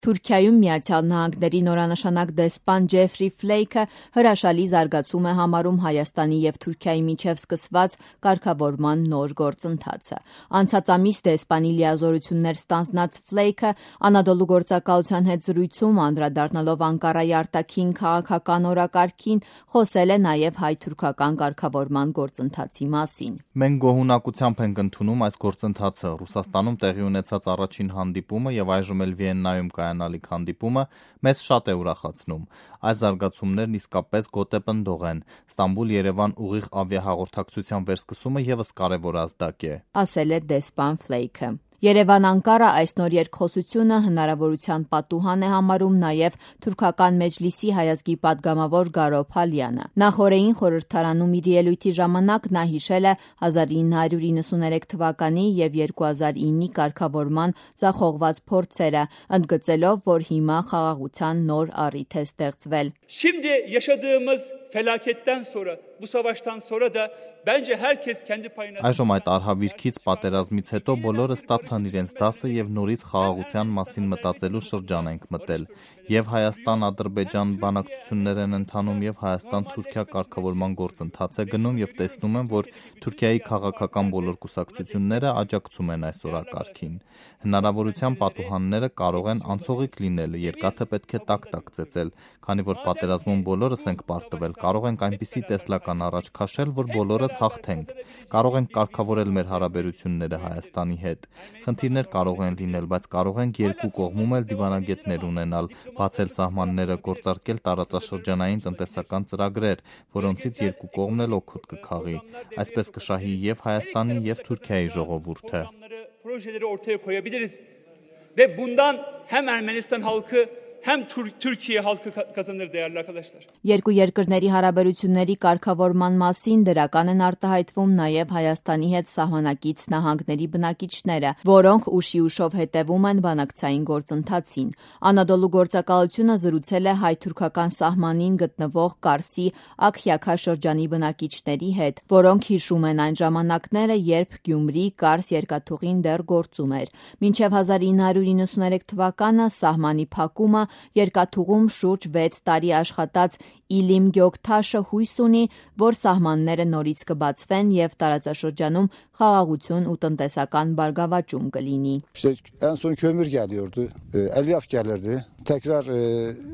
Թուրքիայում Միացյալ Նահանգների նորանշանակ դեսպան Ջեֆրի Ֆլեյքը հրաշալի զարգացում է համարում Հայաստանի և Թուրքիայի միջև սկսված կարգավորման նոր գործընթացը։ Անցած ամիս դեսպանի լիազորություններ ստանձնած Ֆլեյքը Անադոլու գործակալության հետ զրույցում անդրադառնալով Անկարայի արտաքին քաղաքական օրակարգին խոսել է նաև հայ-թուրքական կարգավորման գործընթացի մասին։ Մենք գոհունակությամբ ենք ընդունում այս գործընթացը։ Ռուսաստանում տեղի ունեցած առաջին հանդիպումը եւ այժմ էլ Վիեննայում կայանալիք հանդիպումը մեզ շատ է ուրախացնում։ Այս զարգացումներն իսկապես գոտեպնդող են։ Ստամբուլ-Երևան ուղիղ ավիահաղորդակցության վերսկսումը եւս կարևոր ազդակ է, ասել է դեսպան Ֆլեյքը։ Երևան-Անկարա այս նոր երկխոսությունը հնարավորության պատուհան է համարում նաև թուրքական մեջլիսի հայազգի падգամավոր Գարո Փալյանը։ Նախօրեին խորհրդարանում իր ելույթի ժամանակ նա հիշել է 1993 թվականի եւ 2009-ի կարգավորման ձախողված փորձերը, ընդգծելով, որ հիմա խաղաղության նոր առիթ է ստեղծվել։ Şimdi yaşadığımız felaketten sonra, bu savaştan sonra da bence herkes kendi payına. Այժմ այդ արհավիրքից պատերազմից հետո բոլորը ստացան իրենց դասը եւ նորից խաղաղության մասին մտածելու շրջան ենք մտել։ Եվ Հայաստան-Ադրբեջան բանակցություններ են ընթանում եւ Հայաստան-Թուրքիա կարգավորման գործընթաց է գնում եւ տեսնում եմ, որ Թուրքիայի քաղաքական բոլոր կուսակցությունները աջակցում են այս օրակարգին։ Հնարավորության պատուհանները կարող են անցողիկ լինել, երկաթը պետք է տակ-տակ ծեծել, քանի որ պատերազմում բոլորս ենք պարտվել, կարող ենք այնպիսի տեսլական առաջ քաշել, որ բոլորս հաղթենք։ Կարող ենք կարգավորել մեր հարաբերությունները Հայաստանի հետ։ Խնդիրներ կարող են լինել, բայց կարող ենք երկու կողմում էլ դիվանագետներ ունենալ, բացել սահմանները, գործարկել տարածաշրջանային տնտեսական ծրագրեր, որոնցից երկու կողմն էլ օգուտ կքաղի։ Այսպես կշահի եւ Հայաստանի եւ Թուրքիայի ժողովուրդը։ Projeleri ortaya koyabiliriz ve bundan hem Ermenistan halkı hem Türkiye halkı kazanır değerli arkadaşlar. Երկու երկրների հարաբերությունների կարգավորման մասին դրական են արտահայտվում նաև Հայաստանի հետ սահմանակից նահանգների բնակիչները, որոնք ուշի-ուշով հետևում են բանակցային գործընթացին։ Անադոլու գործակալությունը զրուցել է հայ-թուրքական սահմանին գտնվող Կարսի Աքյաքա շրջանի բնակիչների հետ, որոնք հիշում են այն ժամանակները, երբ Գյումրի-Կարս երկաթուղին դեռ գործում էր։ Մինչև 1993 թվականը սահմանի փակումը երկաթուղում շուրջ 6 տարի աշխատած Իլիմ Գյոքթաշը հույս ունի, որ սահմանները նորից կբացվեն եւ տարածաշրջանում խաղաղություն ու տնտեսական բարգավաճում կլինի։ En son kömür geliyordu, elyaf gelirdi. Tekrar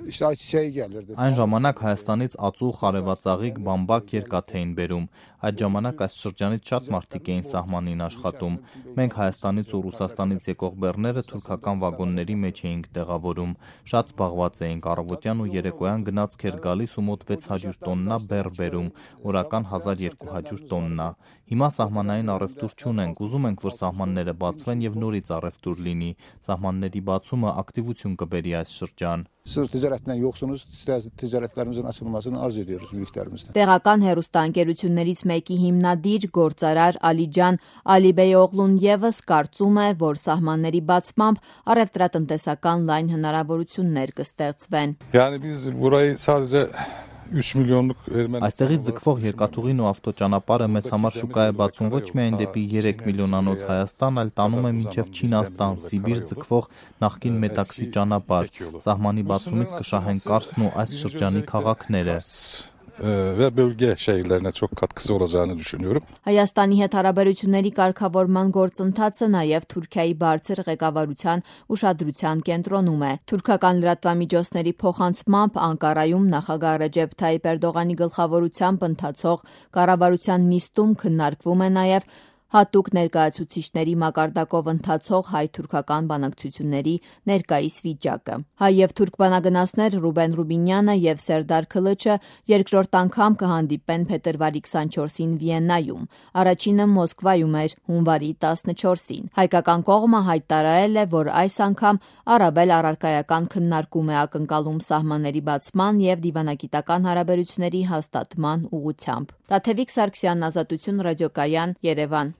işte ayçiçeği gelirdi. Այն ժամանակ Հայաստանից ածու, խարևածաղիկ, բամբակ երկաթ էին բերում։ Այդ ժամանակ այս շրջանից շատ մարդիկ էին սահմանին աշխատում։ Մենք Հայաստանից ու Ռուսաստանից եկող բեռները թուրքական վագոնների մեջ էինք տեղավորում։ Շատ զբաղված էինք, առավոտյան ու երեկոյան գնացք էր գալիս ու մոտ 600 տոննա բեռ բերում, օրական 1200 տոննա։ Հիմա սահմանային առևտուր չունենք, ուզում ենք, որ սահմանները բացվեն եւ նորից առևտուր լինի։ Սահմանների բացումը ակտիվություն կբերի այս շրջան։ Sırf ticaretten yoksunuz, ticaretlerimizin açılmasını arzu ediyoruz büyüklerimizden. Տեղական հեռուստաընկերություններից մեկի հիմնադիր գործարար Ալիջան Ալիբեյօղլուն եւս կարծում է, որ սահմանների բացմամբ առևտրատնտեսական լայն հնարավորություններ կստեղծվեն։ Yani biz burayı sadece 3 milyonluk Այստեղից ձգվող երկաթուղին ու ավտոճանապարհը մեզ համար շուկա է բացում ոչ միայն դեպի 3 միլիոնանոց Հայաստան, այլ տանում է մինչև Չինաստան, Սիբիր ձգվող նախկին Մետաքսի ճանապարհ։ Սահմանի բացումից կշահեն Կարսն ու այս շրջանի քաղաքները։ ve bölge şehirlerine çok katkısı olacağını düşünüyorum. Հայաստանի հետ հարաբերությունների կարգավորման գործընթացը նաև Թուրքիայի բարձր ղեկավարության ուշադրության կենտրոնում է։ Թուրքական լրատվամիջոցների փոխանցմամբ Անկարայում նախագահ Ռեջեփ Թայիփ Էրդողանի գլխավորությամբ ընթացող կառավարության նիստում քննարկվում է նաև հատուկ ներկայացուցիչների մակարդակով ընթացող հայ-թուրքական բանակցությունների ներկայիս վիճակը։ Հայ եւ թուրք բանագնացներ Ռուբեն Ռուբինյանը եւ Սերդար Քլիչը երկրորդ անգամ կհանդիպեն փետրվարի 24-ին Վիեննայում։ Առաջինը Մոսկվայում էր հունվարի 14-ին։ Հայկական կողմը հայտարարել է, որ այս անգամ առավել առարկայական քննարկում է ակնկալում սահմանների բացման եւ դիվանագիտական հարաբերությունների հաստատման ուղղությամբ։ Տաթևիկ Սարգսյան, Ազատություն ռադիոկայան, Երևան։